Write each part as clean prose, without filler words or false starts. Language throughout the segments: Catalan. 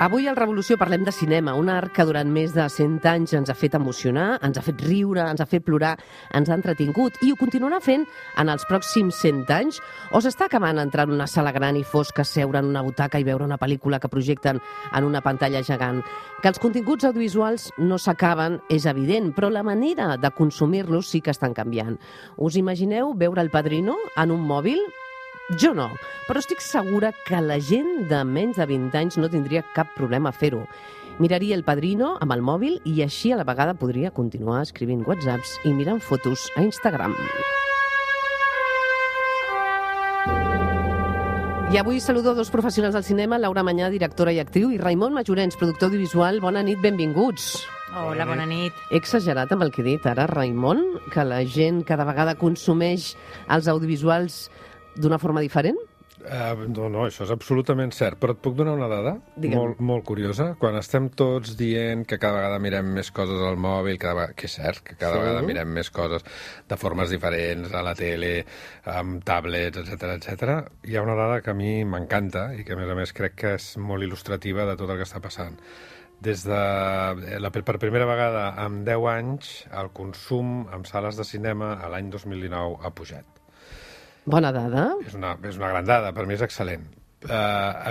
Avui al Revolució parlem de cinema, un art que durant més de 100 anys ens ha fet emocionar, ens ha fet riure, ens ha fet plorar, ens ha entretingut i ho continuarà fent en els pròxims 100 anys? O s'està acabant entrar en una sala gran i fosca, seure en una butaca i veure una pel·lícula que projecten en una pantalla gegant? Que els continguts audiovisuals no s'acaben és evident, però la manera de consumir-los sí que estan canviant. Us imagineu veure El Padrino en un mòbil? Jo no, però estic segura que la gent de menys de 20 anys no tindria cap problema a fer-ho. Miraria El Padrino amb el mòbil i així a la vegada podria continuar escrivint WhatsApps i mirant fotos a Instagram. I avui saludo dos professionals del cinema, Laura Mañà, directora i actriu, i Raimon Majorens, productor audiovisual. Bona nit, benvinguts. Hola, bona nit. He exagerat amb el que he dit ara, Raimon? Que la gent cada vegada consumeix els audiovisuals d'una forma diferent? No, això és absolutament cert, però et puc donar una dada molt curiosa. Quan estem tots dient que cada vegada mirem més coses al mòbil, que és cert, que cada vegada mirem més coses de formes diferents, a la tele, amb tablets, etc. Hi ha una dada que a mi m'encanta i que, a més, crec que és molt il·lustrativa de tot el que està passant. Per primera vegada en 10 anys, el consum en sales de cinema a l'any 2019 ha pujat. Bona dada. És una gran dada, per mi és excel·lent.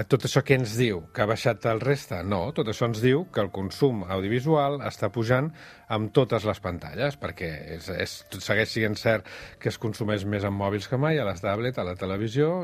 Tot això què ens diu? Que ha baixat el reste? No, tot això ens diu que el consum audiovisual està pujant amb totes les pantalles, perquè segueix sent cert que es consumeix més en mòbils que mai, a les tablets, a la televisió,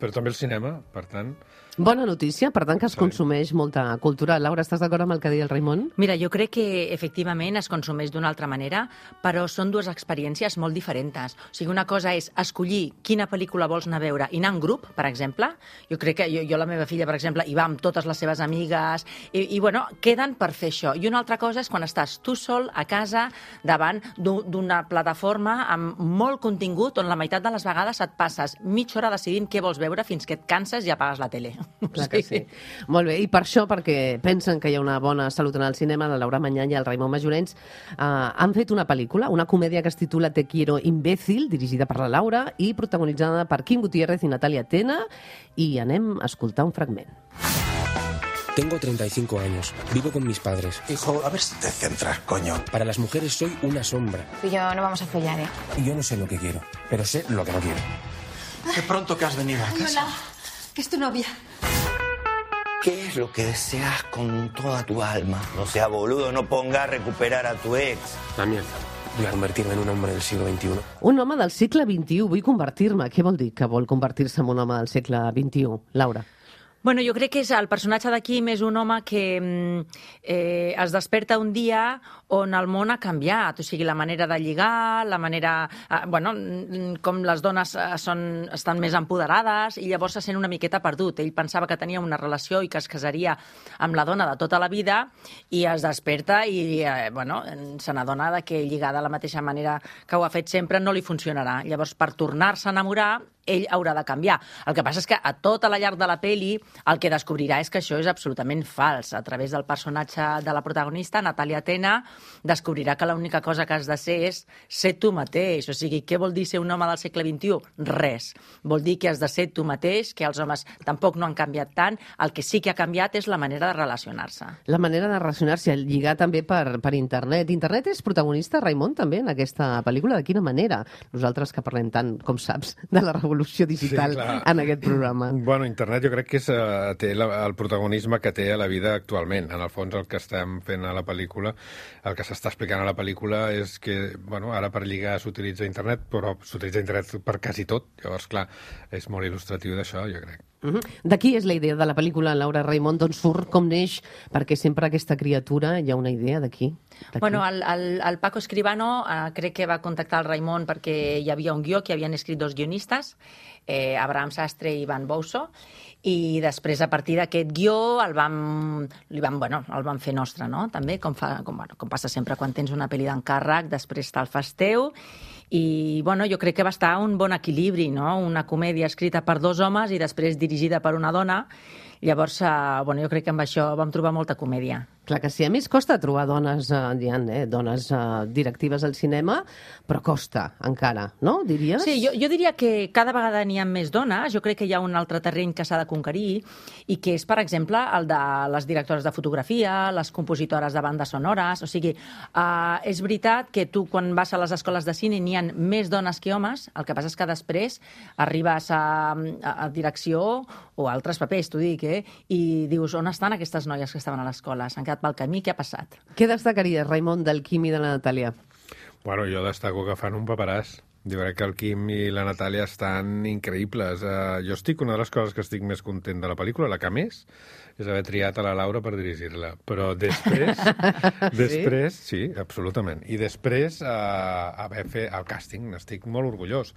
però també al cinema, per tant... Bona notícia, per tant, que es consumeix molta cultura. Laura, estàs d'acord amb el que deia el Raimon? Mira, jo crec que efectivament es consumeix d'una altra manera, però són dues experiències molt diferents. O sigui, una cosa és escollir quina pel·lícula vols anar a veure i anar en grup, per exemple. Jo crec que jo la meva filla, per exemple, hi va amb totes les seves amigues i bueno, queden per fer això. I una altra cosa és quan estàs tu sol a casa davant d'una plataforma amb molt contingut on la meitat de les vegades et passes mitja hora decidint què vols veure fins que et canses i apagues la tele. Clar que sí. Molt bé, i per això, perquè pensen que hi ha una bona salut en el cinema, la Laura Mañà i el Raimon Majorens han fet una pel·lícula, una comèdia que es titula Te quiero imbécil, dirigida per la Laura i protagonitzada per Quim Gutiérrez i Natalia Tena, i anem a escoltar un fragment. Tengo 35 años, vivo con mis padres. Hijo, a ver si te centras, coño. Para las mujeres soy una sombra. Tú y yo no vamos a follar, ¿eh? Yo no sé lo que quiero, pero sé lo que no quiero. Qué pronto que has venido a casa. Hola, que es tu novia. ¿Qué es lo que deseas con toda tu alma? No sea boludo, no ponga a recuperar a tu ex. Damián, voy a convertirme en un hombre del siglo XXI. Un home del segle XXI, vull convertir-me. Què vol dir que vol convertir-se en un home del segle XXI, Laura? Bueno, jo crec que el personatge de Quim és un home que es desperta un dia on el món ha canviat, o sigui, la manera de lligar, la manera... com les dones estan més empoderades i llavors se sent una miqueta perdut. Ell pensava que tenia una relació i que es casaria amb la dona de tota la vida i es desperta i se n'adona que lligar de la mateixa manera que ho ha fet sempre no li funcionarà. Llavors, per tornar-se a enamorar, ell haurà de canviar. El que passa és que a tota la llarg de la pel·li el que descobrirà és que això és absolutament fals. A través del personatge de la protagonista, Natalia Tena, descobrirà que l'única cosa que has de ser és ser tu mateix. O sigui, què vol dir ser un home del segle XXI? Res. Vol dir que has de ser tu mateix, que els homes tampoc no han canviat tant. El que sí que ha canviat és la manera de relacionar-se. La manera de relacionar-se, lligar també per internet. Internet és protagonista, Raimon, també, en aquesta pel·lícula? De quina manera? Nosaltres que parlem tant, com saps, de la revolució digital en aquest programa. Bueno, internet jo crec que té el protagonisme que té a la vida actualment. En el fons, el que estem fent a la pel·lícula, el que s'està explicant a la pel·lícula és que, ara per lligar s'utilitza internet, però s'utilitza internet per quasi tot. Llavors, clar, és molt il·lustratiu d'això, jo crec. D'aquí és la idea de la pel·lícula, Laura, Raimon, d'on surt, com neix, perquè sempre aquesta criatura hi ha una idea d'aquí. Bueno, el Paco Escribano crec que va contactar el Raimon perquè hi havia un guió que havien escrit dos guionistes, Abraham Sastre i Ivan Bousso, i després, a partir d'aquest guió, el vam fer nostre, no? També, com passa sempre quan tens una pel·li d'encàrrec, després te'l fas teu, i jo crec que va estar un bon equilibri, no? Una comèdia escrita per dos homes i després dirigida per una dona. Llavors, jo crec que amb això vam trobar molta comèdia. Clar que sí. A més, costa trobar dones, dones directives al cinema, però costa encara, no? Diries? Sí, jo diria que cada vegada n'hi ha més dones. Jo crec que hi ha un altre terreny que s'ha de conquerir i que és, per exemple, el de les directores de fotografia, les compositores de bandes sonores. O sigui, és veritat que tu, quan vas a les escoles de cine, n'hi ha més dones que homes. El que passa és que després arribes a direcció o a altres papers, t'ho dic, i dius, on estan aquestes noies que estaven a l'escola? S'han quedat pel camí, què ha passat? Què destacaries, Raimon, del Quim i de la Natàlia? Bueno, jo destaco que fan un paperàs. Jo crec que el Quim i la Natàlia estan increïbles. Una de les coses que estic més content de la pel·lícula, la que més, és haver triat a la Laura per dirigir-la. Però després, sí, absolutament. I després haver fet el càsting, n'estic molt orgullós.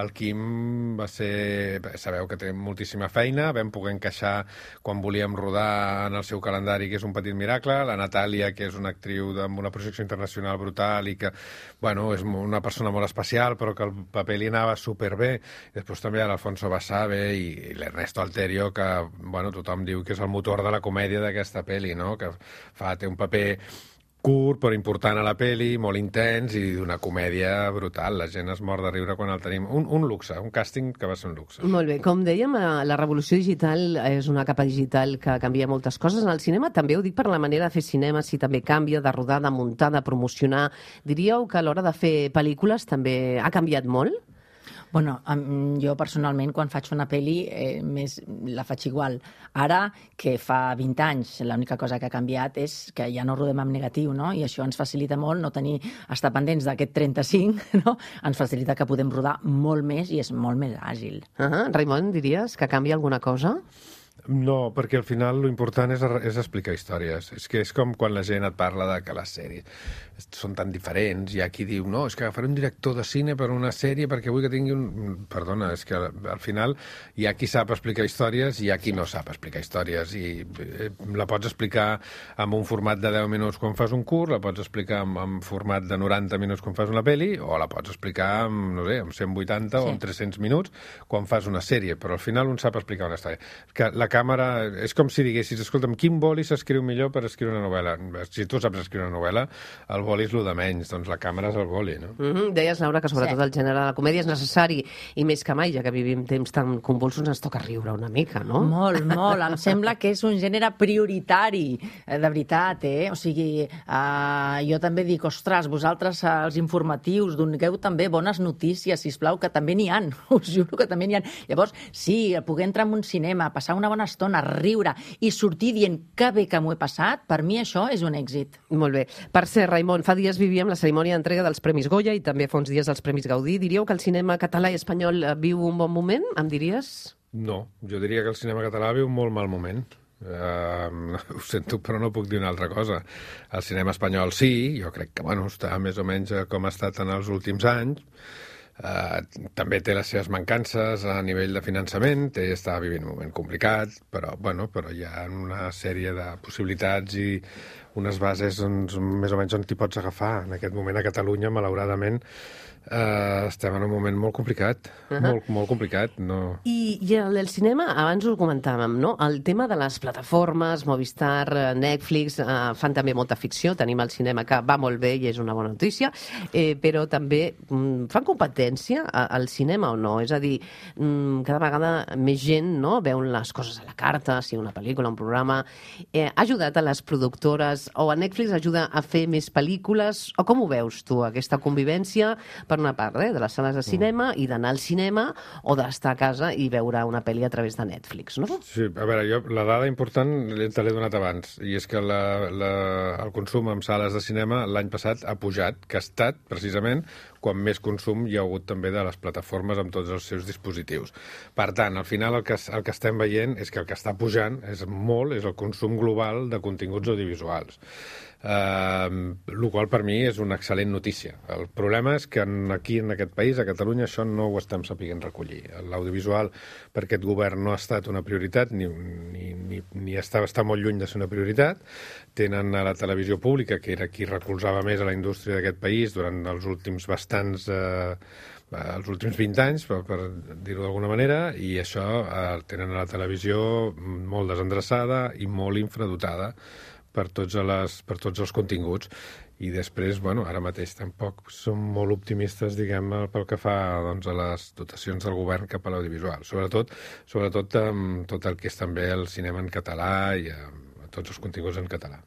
El Quim va ser... Sabeu que té moltíssima feina, vam poder encaixar quan volíem rodar en el seu calendari, que és un petit miracle. La Natàlia, que és una actriu amb una projecció internacional brutal i que, bueno, és una persona molt especial, però que el paper li anava superbé. Després també l'Alfonso Basabe i l'Ernesto Alterio, que, bueno, tothom diu que és el motor de la comèdia d'aquesta pel·li, no? Que té un paper curt però important a la pel·li, molt intens i d'una comèdia brutal. La gent es mor de riure quan el tenim. Un luxe, un càsting que va ser un luxe. Molt bé. Com dèiem, la revolució digital és una capa digital que canvia moltes coses. En el cinema també ho dic per la manera de fer cinema, si també canvia, de rodar, de muntar, de promocionar. Diríeu que a l'hora de fer pel·lícules també ha canviat molt? Bueno, jo personalment, quan faig una pel·li, la faig igual. Ara, que fa 20 anys, l'única cosa que ha canviat és que ja no rodem amb negatiu, no? I això ens facilita molt no estar pendents d'aquest 35, no? Ens facilita que podem rodar molt més i és molt més àgil. Raimon, diries que canvia alguna cosa? No, perquè al final l'important és explicar històries. És que és com quan la gent et parla de que les sèries són tan diferents. Hi ha qui diu, no, és que agafaré un director de cine per una sèrie perquè vull que tingui un... Perdona, és que al final hi ha qui sap explicar històries i hi ha qui no sap explicar històries. I la pots explicar amb un format de 10 minuts quan fas un curt, la pots explicar amb format de 90 minuts quan fas una pel·li, o la pots explicar amb, no sé, amb 180 o amb 300 minuts quan fas una sèrie. Però al final un sap explicar una història. Que la càmera és com si diguessis, escolta'm, quin boli s'escriu millor per escriure una novel·la? Si tu saps escriure una novel·la, el boli és el de menys, doncs la càmera és el boli, no? Deies, Laura, que sobretot el gènere de la comèdia és necessari, i més que mai, ja que vivim temps tan convulsos, ens toca riure una mica, no? Molt, molt. Em sembla que és un gènere prioritari, de veritat, O sigui, jo també dic, ostres, vosaltres als informatius doneu també bones notícies, sisplau, que també n'hi ha, us juro que també n'hi ha. Llavors, sí, poder entrar en un cinema, passar una bona estona, riure i sortir dient que bé que m'ho he passat, per mi això és un èxit. Molt bé. Per cert, Raimon, fa dies vivíem la cerimònia d'entrega dels Premis Goya i també fa uns dies els Premis Gaudí. Diríeu que el cinema català i espanyol viu un bon moment? Em diries? No, jo diria que el cinema català viu un molt mal moment. Ho sento, però no puc dir una altra cosa. El cinema espanyol sí, jo crec que està més o menys com ha estat en els últims anys. També té les seves mancances a nivell de finançament, està vivint un moment complicat, però hi ha una sèrie de possibilitats i unes bases més o menys on t'hi pots agafar. En aquest moment a Catalunya, malauradament, estem en un moment molt complicat, molt complicat. No... I el cinema, abans ho comentàvem, no? El tema de les plataformes, Movistar, Netflix, fan també molta ficció, tenim el cinema que va molt bé i és una bona notícia, però també fan competència al cinema o no? És a dir, cada vegada més gent veuen les coses a la carta, si una pel·lícula, un programa. Ha ajudat a les productores o a Netflix ajuda a fer més pel·lícules? O com ho veus tu, aquesta convivència, per una part, de les sales de cinema i d'anar al cinema o d'estar a casa i veure una pel·li a través de Netflix, no? Sí, a veure, jo la dada important te l'he donat abans, i és que el consum en sales de cinema l'any passat ha pujat, que ha estat, precisament, quan més consum hi ha hagut també de les plataformes amb tots els seus dispositius. Per tant, al final el que estem veient és que el que està pujant és el consum global de continguts audiovisuals. coses. El qual per mi és una excel·lent notícia. El problema és que aquí en aquest país, a Catalunya, això no ho estem sapiguent recollir. L'audiovisual per aquest govern no ha estat una prioritat ni està molt lluny de ser una prioritat. Tenen a la televisió pública, que era qui recolzava més a la indústria d'aquest país durant els últims els últims 20 anys, per dir-ho d'alguna manera, i això tenen a la televisió molt desendreçada i molt infradotada per tots els continguts. I després, ara mateix tampoc som molt optimistes, diguem, pel que fa doncs, a les dotacions del govern cap a l'audiovisual. Sobretot amb tot el que és també el cinema en català i tots els continguts en català.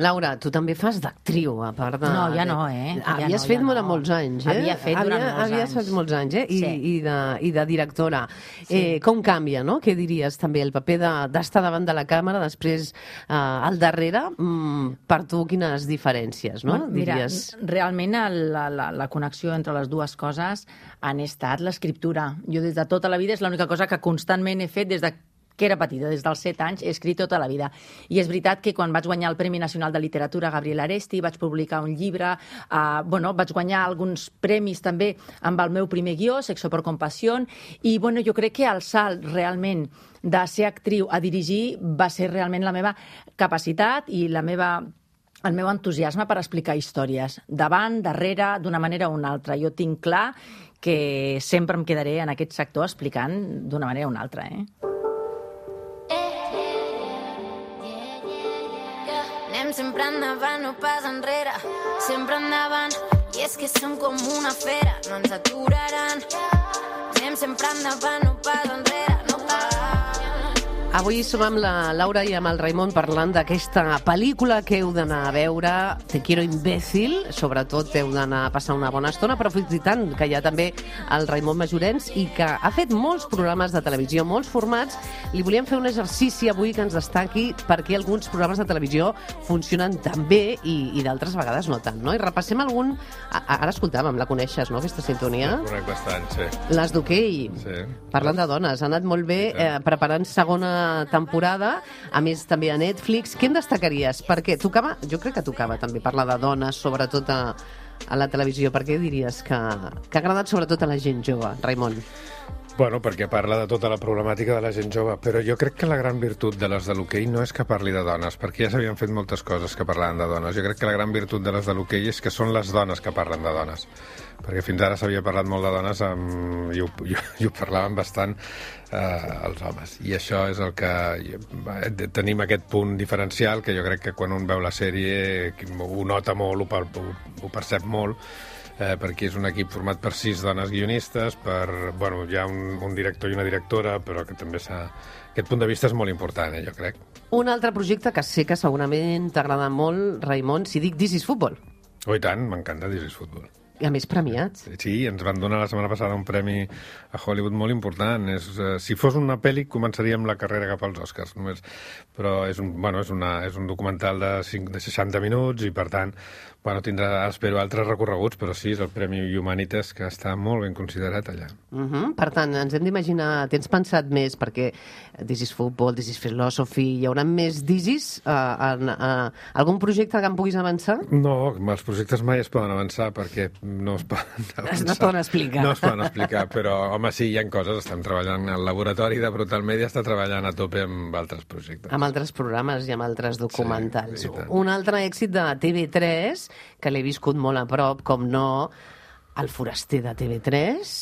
Laura, tu també fas d'actriu, a part de... No, ja no, Havies fet durant molts anys, Havia fet molts anys, Sí. I de directora. Sí. Com canvia, no? Què diries també el paper d'estar davant de la càmera, després al darrere? Per tu, quines diferències, no? Mira, diries? realment la connexió entre les dues coses han estat l'escriptura. Jo des de tota la vida és l'única cosa que constantment he fet des de que era petita, des dels 7 anys, he escrit tota la vida. I és veritat que quan vaig guanyar el Premi Nacional de Literatura Gabriel Aresti, vaig publicar un llibre, vaig guanyar alguns premis també amb el meu primer guió, Sexo por compasión, i jo crec que el salt realment de ser actriu a dirigir va ser realment la meva capacitat i el meu entusiasme per explicar històries, davant, darrere, d'una manera o una altra. Jo tinc clar que sempre em quedaré en aquest sector explicant d'una manera o una altra, Anem sempre endavant, no pas enrere, sempre endavant, i és que som com una fera, no ens aturaran. Anem sempre endavant, no pas enrere, no pas. Avui som amb la Laura i amb el Raimon parlant d'aquesta pel·lícula que heu d'anar a veure, Te quiero imbécil, sobretot heu d'anar a passar una bona estona, però fins i tant que hi ha també el Raimon Majorens i que ha fet molts programes de televisió, molts formats. Li volíem fer un exercici avui que ens destaqui perquè alguns programes de televisió funcionen tan bé i d'altres vegades no tant, no? I repassem algun... Ara escoltàvem, la coneixes, no, aquesta sintonia? La conec bastant, sí. Les d'hoquei. Sí. Parlant de dones, ha anat molt bé preparant segona temporada, a més també a Netflix. Què en destacaries? Perquè tocava, jo crec que tocava també parlar de dones, sobretot a la televisió. Per què diries que ha agradat sobretot a la gent jove, Raimon? Bueno, perquè parla de tota la problemàtica de la gent jove, però jo crec que la gran virtut de les de l'hoquei no és que parli de dones, perquè ja s'havien fet moltes coses que parlaven de dones. Jo crec que la gran virtut de les de l'hoquei és que són les dones que parlen de dones, perquè fins ara s'havia parlat molt de dones i ho parlaven bastant els homes. I això és el que... Tenim aquest punt diferencial que jo crec que quan un veu la sèrie ho nota molt, ho percep molt, perquè és un equip format per 6 dones guionistes, hi ha un director i una directora, però que també aquest punt de vista és molt important, jo crec. Un altre projecte que sé que segurament t'agrada molt, Raimon, si dic This is Football. Oh, i tant, m'encanta This is Football. I a més premiats. Sí, ens van donar la setmana passada un premi a Hollywood molt important. Si fos una pel·li, començaríem la carrera cap als Oscars, només. Però és un documental de 60 minuts i, per tant, tindrà, espero, altres recorreguts, però sí, és el Premi Humanitas, que està molt ben considerat allà. Per tant, ens hem d'imaginar, tens pensat més, perquè This is Football, This is Philosophy, hi haurà més This is? Algun projecte que em puguis avançar? No, els projectes mai es poden avançar, perquè no es poden avançar. No es poden explicar. No es poden explicar, però, home, sí, hi ha coses. Estem treballant, el laboratori de Brutal Media està treballant a tope amb altres projectes. Amb altres programes i amb altres documentals. Sí, un altre èxit de TV3, que l'he viscut molt a prop, com no, El foraster de TV3,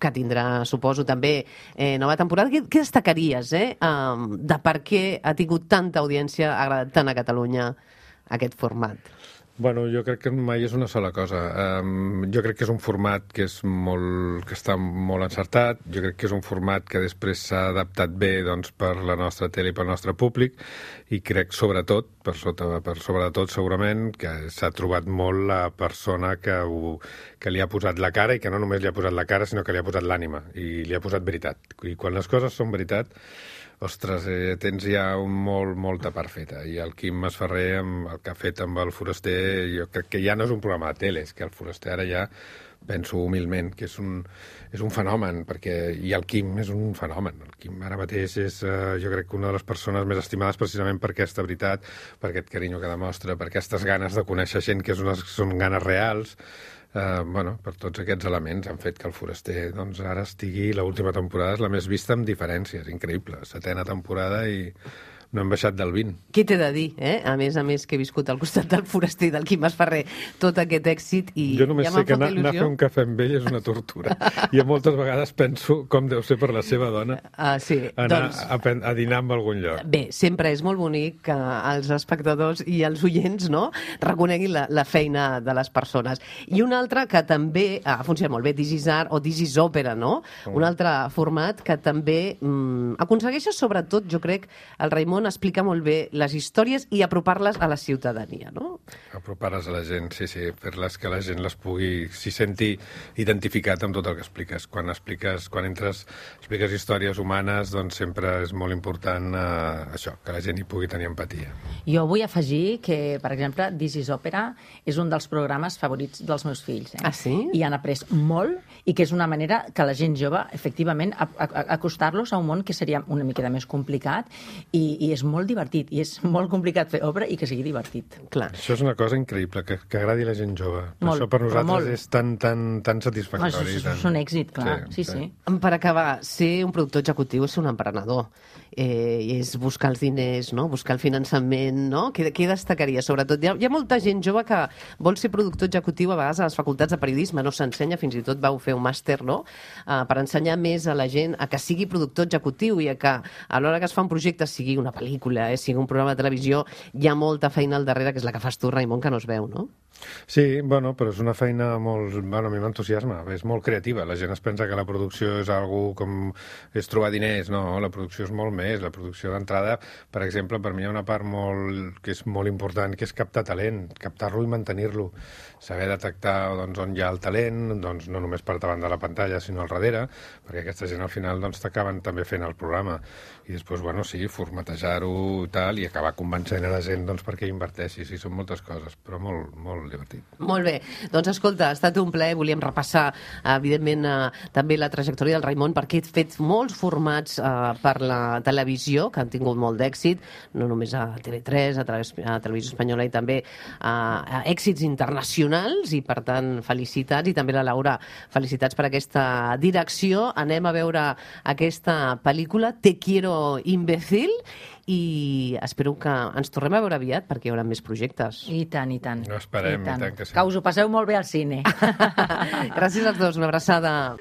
que tindrà, suposo, també nova temporada. Què destacaries, de per què ha tingut tanta audiència, ha agradat tant a Catalunya aquest format? Bueno, jo crec que mai és una sola cosa. Jo crec que és un format que està molt encertat, jo crec que és un format que després s'ha adaptat bé per la nostra tele i pel nostre públic, i crec sobretot, segurament, que s'ha trobat molt la persona que li ha posat la cara, i que no només li ha posat la cara, sinó que li ha posat l'ànima, i li ha posat veritat. I quan les coses són veritat, ostres, tens ja molta part feta. I el Quim Masferrer, el que ha fet amb el foraster, jo crec que ja no és un programa de tele, és que el foraster ara ja penso humilment que és un fenomen, i el Quim és un fenomen. El Quim ara mateix és, jo crec, que una de les persones més estimades precisament per aquesta veritat, per aquest carinyo que demostra, per aquestes ganes de conèixer gent que són ganes reals. Per tots aquests elements han fet que el Foraster doncs, ara estigui, l'última temporada és la més vista amb diferències, increïble. 7ª temporada i no hem baixat del 20. Què t'he de dir, A més, que he viscut al costat del Foraster i del Quim Masferrer tot aquest èxit i jo només ja sé que m'ha anar a fer un cafè amb ell és una tortura. I moltes vegades penso com deu ser per la seva dona sí, anar a dinar en algun lloc. Bé, sempre és molt bonic que els espectadors i els oients reconeguin la feina de les persones. I un altre que també ha funcionat molt bé, This is Art o This is Opera, no? Un altre format que també aconsegueix, sobretot, jo crec, el Raimon explica molt bé les històries i apropar-les a la ciutadania, no? Apropar-les a la gent, sí, fer-les que la gent s'hi senti identificat amb tot el que expliques. Quan expliques històries humanes, doncs sempre és molt important això, que la gent hi pugui tenir empatia. Jo vull afegir que, per exemple, This is Opera és un dels programes favorits dels meus fills. Ah, sí? I han après molt i que és una manera que la gent jove, efectivament, acostar-los a un món que seria una miqueta més complicat i és molt divertit, i és molt complicat fer obra i que sigui divertit. Clar. Això és una cosa increïble, que agradi a la gent jove. Molt, això per nosaltres és tan satisfactori. Això és un èxit, clar. Sí. Per acabar, ser un productor executiu és ser un emprenedor. És buscar els diners, no? Buscar el finançament, no? Què destacaria? Sobretot, hi ha molta gent jove que vol ser productor executiu, a vegades a les facultats de periodisme no s'ensenya, fins i tot vau fer un màster, no? Per ensenyar més a la gent a que sigui productor executiu i a que a l'hora que es fa un projecte, sigui una pel·lícula, sigui un programa de televisió, hi ha molta feina al darrere, que és la que fas tu, Raimon, que no es veu, no? Sí, però és una feina molt... a mi m'entusiasma, és molt creativa. La gent es pensa que la producció és algo com... és trobar diners, no, la producció és molt més. La producció d'entrada, per exemple, per mi hi ha una part que és molt important, que és captar talent, captar-lo i mantenir-lo. Saber detectar on hi ha el talent, no només per davant de la pantalla, sinó al darrere, perquè aquesta gent al final t'acaben també fent el programa. I després, formatejar-ho i tal, i acabar convencent a la gent perquè inverteixi. Sí, són moltes coses, però molt, molt divertit. Molt bé. Doncs escolta, ha estat un plaer. Volíem repassar, evidentment, també la trajectòria del Raimon, perquè he fet molts formats per la televisió, que han tingut molt d'èxit, no només a TV3, a Televisió Espanyola, i també a èxits internacionals, i per tant, felicitats, i també la Laura, felicitats per aquesta direcció. Anem a veure aquesta pel·lícula, Te quiero imbécil, i espero que ens tornem a veure aviat, perquè hi haurà més projectes. I tant. No esperem, i tant que sí. Que us ho passeu molt bé al cine. Gràcies als dos, una abraçada.